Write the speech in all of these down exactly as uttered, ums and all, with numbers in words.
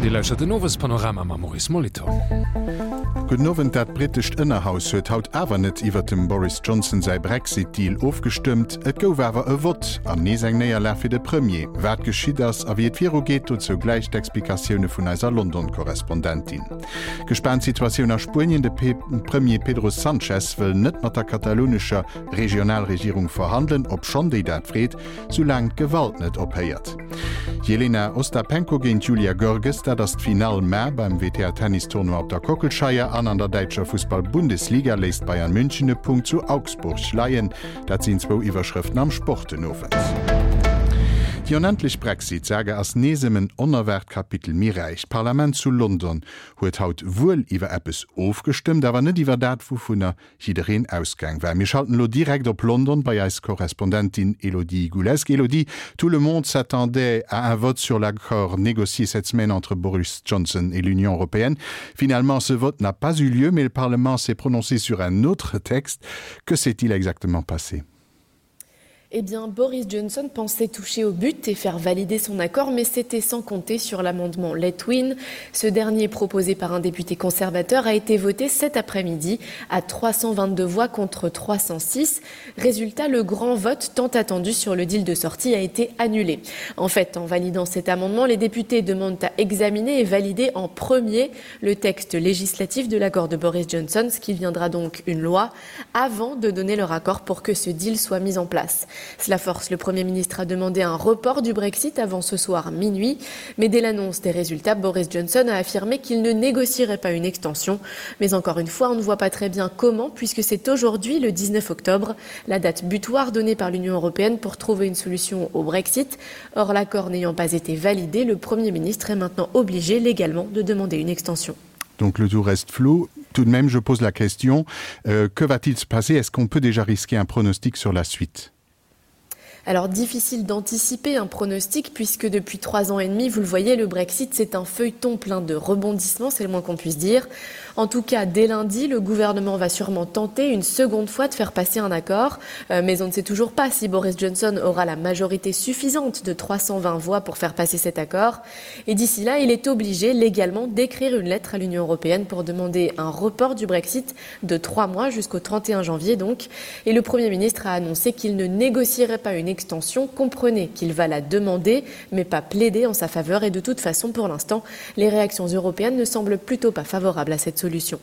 Dir lauschtert den Owespanorama mam Maurice Molitor. Gudden Owend, Dat brittescht Ënnerhaus huet haut awer net iwwert dem Boris Johnson säi Brexit-Deal ofgestëmmt. Et gouf awer e Vott an nees eng Néierlag fir de Premier. Wat geschitt ass a wéi et virugeet, dozou gläich d'Explikatioune vun eiser London-Korrespondentin. Gespaant Situatioun a Spuenien, De Premier Pedro Sanchez wëll net mat der katalounescher Regionalregierung verhandelen, obschonn déi dat freet, soulaang d'Gewalt net ophéiert. Jelena Ostapenko géint Julia Görges, dat ass d'Finall mar beim W T A-Tennistournoi op der Kockelscheier an an der däitscher Fussball-Bundesliga léisst Bayern München e Punkt zu Augsburg leien. Dat sinn zwou Iwwerschrëften am Sport den Owend. Déi onendlech Brexit-Saga ass nees ëm en onerwaart Kapitel méi räich. D'Parlament zu London huet haut wuel iwwer eppes ofgestëmmt, awer net iwwer dat, wouvunner jiddereen ausgaang war. Mir schalten elo direkt op London bei eis Korrespondentin Elodie Goulesque. Elodie, tout le monde s'attendait à un vote sur l'accord négocié cette semaine entre Boris Johnson et l'Union européenne. Finalement, ce vote n'a pas eu lieu, mais le Parlement s'est prononcé sur un autre texte. Que s'est-il exactement passé? Eh bien, Boris Johnson pensait toucher au but et faire valider son accord, mais c'était sans compter sur l'amendement Letwin. Ce dernier, proposé par un député conservateur, a été voté cet après-midi à trois cent vingt-deux voix contre trois cent six. Résultat, le grand vote tant attendu sur le deal de sortie a été annulé. En fait, en validant cet amendement, les députés demandent à examiner et valider en premier le texte législatif de l'accord de Boris Johnson, ce qui deviendra donc une loi, avant de donner leur accord pour que ce deal soit mis en place. Cela force le Premier ministre à demander un report du Brexit avant ce soir minuit. Mais dès l'annonce des résultats, Boris Johnson a affirmé qu'il ne négocierait pas une extension. Mais encore une fois, on ne voit pas très bien comment, puisque c'est aujourd'hui, le dix-neuf octobre, la date butoir donnée par l'Union européenne pour trouver une solution au Brexit. Or, l'accord n'ayant pas été validé, le Premier ministre est maintenant obligé légalement de demander une extension. Donc le tout reste flou. Tout de même, je pose la question, euh, que va-t-il se passer? Est-ce qu'on peut déjà risquer un pronostic sur la suite? Alors, difficile d'anticiper un pronostic puisque depuis trois ans et demi, vous le voyez, le Brexit, c'est un feuilleton plein de rebondissements, c'est le moins qu'on puisse dire. En tout cas, dès lundi, le gouvernement va sûrement tenter une seconde fois de faire passer un accord. Euh, mais on ne sait toujours pas si Boris Johnson aura la majorité suffisante de trois cent vingt voix pour faire passer cet accord. Et d'ici là, il est obligé légalement d'écrire une lettre à l'Union européenne pour demander un report du Brexit de trois mois jusqu'au trente et un janvier donc. Et le Premier ministre a annoncé qu'il ne négocierait pas une extension. Comprenez qu'il va la demander, mais pas plaider en sa faveur. Et de toute façon, pour l'instant, les réactions européennes ne semblent plutôt pas favorables à cette solution.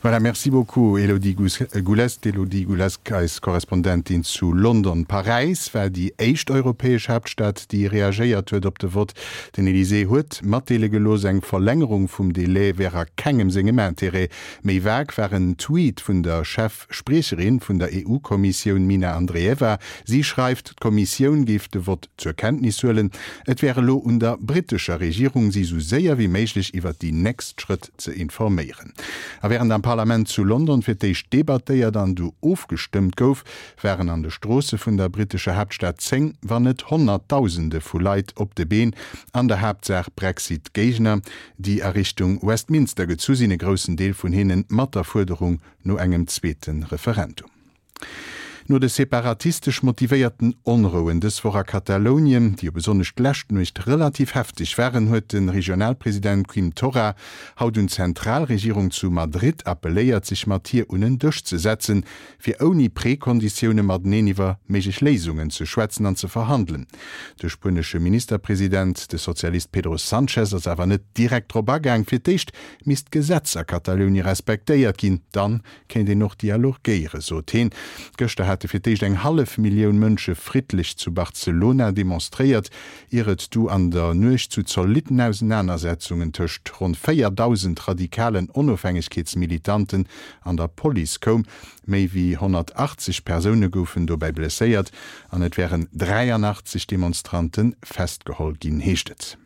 Voilà, merci beaucoup, Elodie Goulest. Elodie Goulest, eis Korrespondentin zu London. Paräis war déi éischt europäesch Haaptstad, déi reagéiert huet op de Vott. Den Elysée huet matdeele gelooss, eng Verlängerung vum Delai wär a kengem sengem Interêt. Méi vag war en Tweet vun der Chefspriecherin vun der E U-Kommissioun Mina Andreeva. Si schreift, d'Kommissioun géif de Vott zur Kenntnis huelen. Et wär elo un der brittescher Regierung, si sou séier wéi méiglech iwwer déi nächst Schrëtt ze informéieren. A wärend am Parlament zu London fir d'éischt debattéiert an du ofgestëmmt gouf, waren an de Stroosse vun der brittescher Haaptstad zéng, wann net Honnertdausende vu Leit op de Been, an der Haaptsaach Brexit-Géigner, déi a Richtung Westminster gezu sinn, e groussen Deel vun hinnen mat der Fuerderung no engem zweete Referendum. No de separatistesch motivéierten Onrouen dës Woch a Katalounien, déi jo besonnesch d'lescht Nuecht relativ hefteg waren, huet de Regionalpresident Quim Torra haut un d'Zentralregierung zu Madrid appelléiert, sech mat hir un en Dësch ze setzen, fir ouni Prekonditioune mateneen iwwer méiglech Léisungen ze schwätzen an ze verhandelen. De spuenesche Ministerpresident, de Sozialist Pedro Sanchez, ass awer net direkt drop agaang. Fir d'éischt misst d'Gesetz a Katalounie respektéiert ginn, dann kéint een och dialogéieren, sot hien. Gëschter hate fir d'éischt eng hallef Millioun Mënsche friddlech zu Barcelona demonstréiert, ier et du an der Nuecht zu zolitten Ausenanersetzungen tëscht ronn véierdausend radikalen Onofhängegkeetsmilitanten an der Police koum. Méi wéi honnertachtzeg Persoune goufen dobäi blesséiert an et wären dräianachtzeg Demonstrante festgeholl ginn, heescht et.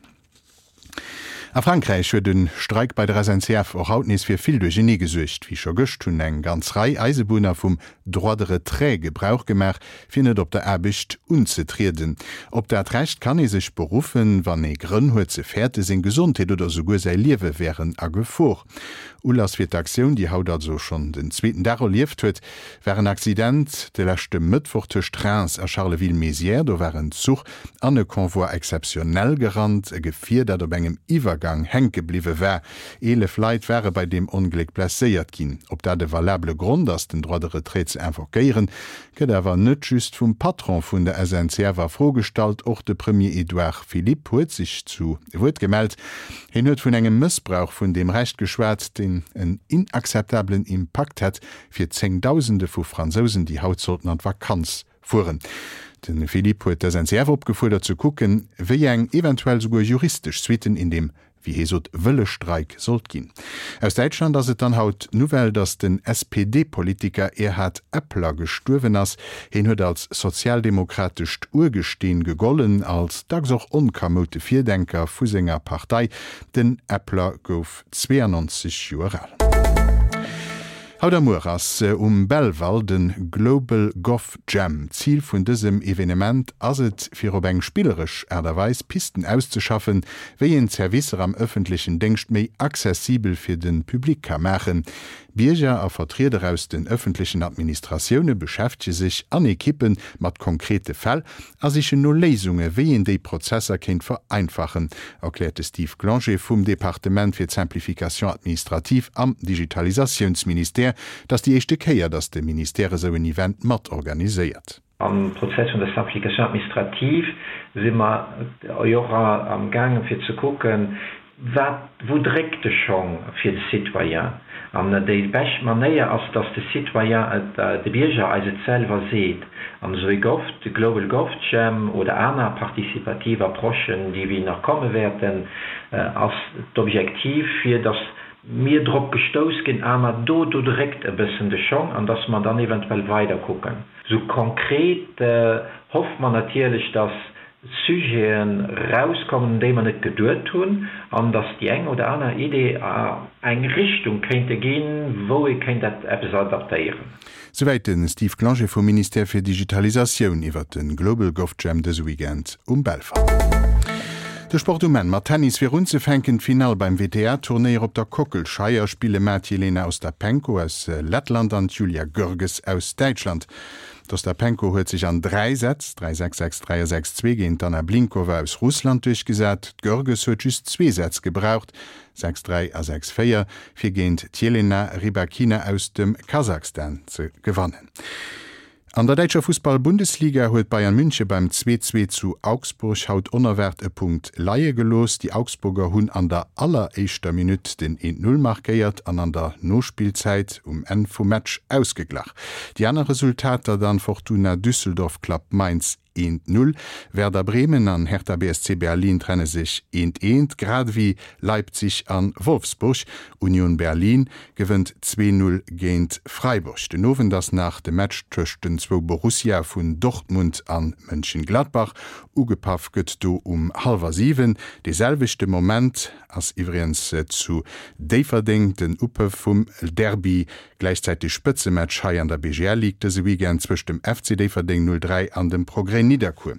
A Frankräich huet de Streik bei der S N C F och haut nees fir vill Duerchernee gesuergt. Wéi scho gëscht hunn eng ganz Rei Eisebunner vum Droit de retrait Gebrauch gemaach, fir net op der Aarbecht unzetrieden. Op dat Recht kann ee sech beruffen, wann ee Grënn huet ze fäerten, seng Gesondheet oder souguer säi Liewe wären a Gefor. Ulass fir d'Aktioun, déi haut also schonn den zweeten Dag erlieft huet, war en Accident de leschte Mëttwoch tëscht Reims a Charleville-Mézières. Do war en Zuch an e Convoi exceptionnel gerannt, e Gefier, dat op engem Iwwergang Iwwergang hänke bliwwe war. Eelef Leit ware bei deem Ongléck blesséiert ginn. Ob dat e valabele Grond ass, den Droit de retrait ze invoquéieren, gëtt awer net just vum Patron vun der S N C F a Fro gestallt. Och de Premier Edouard Philippe huet sech zu Wuert gemellt. Hien huet vun engem Mëssbrauch vun deem Recht geschwat, deen en inakzeptabelen Impakt hätt fir Zéngdausende vu Fransousen, déi haut sollten an d'Vakanz fueren. De Philippe huet d'S N C F opgefuerdert ze kucken, wéi eng eventuell souguer juristesch Suitten een deem, wéi hie sot, wëlle Streik sollt ginn. Aus Däitschland ass et dann haut d'Nouvelle, datt den S P D-Politiker Erhard Eppler gestuerwen ass. Hien huet als sozialdemokratescht Urgesteen gegollen, als dacks och onkamoute Virdenker vu senger Partei. Den Eppler gouf zweeanonzeg Joer al. Haut a muer ass um Belval de Global Gov Jam. Zil vun dësem Evenement ass et, fir op eng spilleresch Aart a Weis Pisten auszeschaffen, wéi een d'Servicer am ëffentlechen Déngscht méi accessibel fir de Public ka maachen. Bierger a Vertrieder aus den ëffentlechen Administratioune beschäftege sech an Ekippe mat konkrete Fäll a sichen no Léisunge wéi een déi Prozesser kéint vereinfachen, erkläert de Steve Glanger vum Departement fir d'Simplification administrative am Digitalisatiounsministère. Et ass déi éischte Kéier, datt de Ministère esou en Event mat organiséiert. Am Prozess vun der Simplification administrative si mer jo och am gaangen fir ze kucken, wat, wou dréckt de Schong fir de Citoyen. An déi bescht Manéier ass, dass de Citoyen et, de Bierger eis et selwer seet. An esou e Gov, de Global Gov Jam oder aner participativ Approchen, déi wéi nach komme wäerten, ass d'Objektiv, fir dass mir drop gestouss ginn, ah ma do, do dréckt e bëssen de Schong, an dass mer dann eventuell weider kucken. Sou konkret hoffe mer natierlech, dass Sujeten rauskommen, un déi mer net geduet hunn, an dass déi eng oder aner Idee a eng Richtung kéinte ginn, wou ee kéint eppes adaptéieren. Souwäit de Steve Glanger vum Ministère fir Digitalisatioun iwwer de Global Gov Jam dëse Weekend um Belval. De Sport um Enn mat Tennis fir unzefänken. D'Finall beim W T A-Turnéier op der Kockelscheier spille mar d'Jelena Ostapenko aus Lettland an d'Julia Görges aus Däitschland. D'Ostapenko huet sech an dräi Sätz, dräi sechs, sechs dräi a sechs zwee, géint d'Anna Blinkova aus Russland duerchgesat. D'Görges huet just zwee Sätz gebraucht, sechs dräi a sechs véier, fir géint d'Jelena Rybakina aus dem Kasachstan ze gewannen. An der däitscher Fussball-Bundesliga huet Bayern München beim zwee zwee zu Augsburg haut onerwaart e Punkt leie gelooss. Déi Augsburger hunn an der alleréischter Minutt den eent null markéiert an an der Nospillzäit um Enn vum Match ausgeglach. Déi aner Resultater dann, Fortuna Düsseldorf klappt Mainz eent null, Werder Bremen an Hertha B S C Berlin trenne sech eent eent, grad ewéi Leipzig an Wolfsburg. Union Berlin gewënnt zwee null géint Freiburg. Den Owend ass nach de Match tëscht den zwou Borussia vun Dortmund an Mönchengladbach. Ugepaff gëtt do um hallwer siwen. De selwechte Moment ass iwwregens zu Déifferdeng den Upëff vum Derby, gläichzäiteg Spëtzematch hei an der B G L Ligue dëse Weekend zwëscht dem F C Déifferdeng null dräi an dem Progrès Nidderkuer.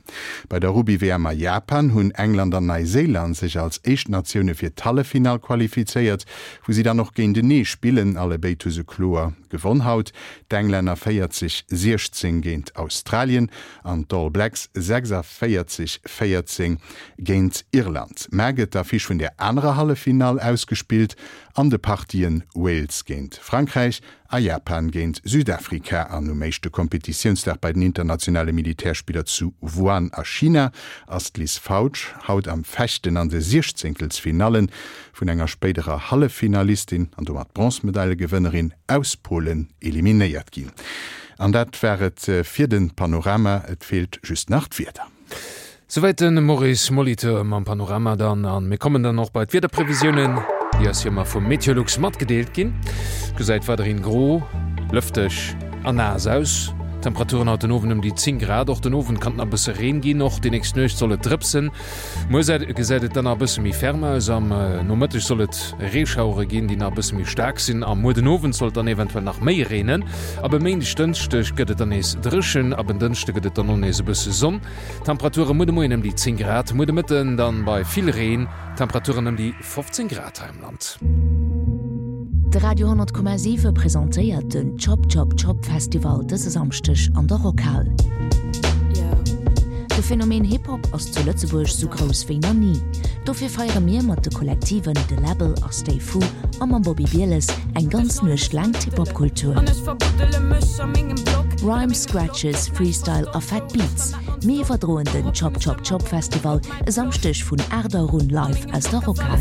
Bei der Rugby-W M a Japan hunn England an Neiséiland sech als éischt Natioune fir d'Halleffinall qualifizéiert, wou si dann och géintenee spillen. Allebéid hu se kloer gewonn haut, d'Englänner véierzeg siechzéng géint Australien an d'All Blacks sechsundvéierzeg véierzéng géint Irland. Mar gëtt d'Affiche vun der anerer Halleffinall ausgespillt an de Partien Wales géint Frankräich a Japan géint Südafrika. An um éischte Kompetitiounsdag bei den internationale Militärspiller zu Wuhan a China ass d'Liz Fautsch haut am Fechten an de Siechzéngtelsfinalle vun enger spéiderer Halleffinalistin an domat Bronzemedaile-Gewënnerin aus Polen eliminéiert ginn. An dat war et fir de Panorama, et feelt just nach d'Wieder. Souwäit de Maurice Molitor mam Panorama dann an mir kommen dann och bei d'Wiederprevisiounen, déi eis hei vum Meteolux matgedeelt ginn. Gesäit weiderhin gro, lëfteg an naass aus. Temperaturen haut den Owend ëm déi zéng Grad. Och den Owend kann nach e bësse Reen ginn, och déi nächst Nuecht soll et drëpsen. Muer gesäit et dann e bësse méi ferm aus. Am äh, Nomëtteg soll et Reeschauere ginn, déi nach e bësse méi staark sinn. Am muer den Owend soll et dann eventuell nach méi reenen. Ab e Méindeg Dënschdeg gëtt et dann nees dréchen, ab en Dënschdeg gëtt et dann och nees e bësse Sonn. Temperature muer de Moien ëm déi zéng Grad, muer de Mëtten dann bei vill Reen, Temperaturen ëm déi fofzéng Grad hei am Land. De Radio honnert Komma siwe presentéiert den Chop Chop Chop Festival dëse Samschdeg an der Rockhal. De Phänomen Hip-Hop ass zu Lëtzebuerg sou grouss wéi nach ni. Dofir feiere mir mat de Kollektiven De Läbbel a Stay Fu a mam Bobby Bieles eng ganz Nuecht laang d'Hip-Hop-Kultur. Rhymes, Scratches, Freestyle a fett Beats, mir iwwerdroen den Chop Chop Chop Festival e Samschdeg vun aacht Auer un live aus der Rockhal.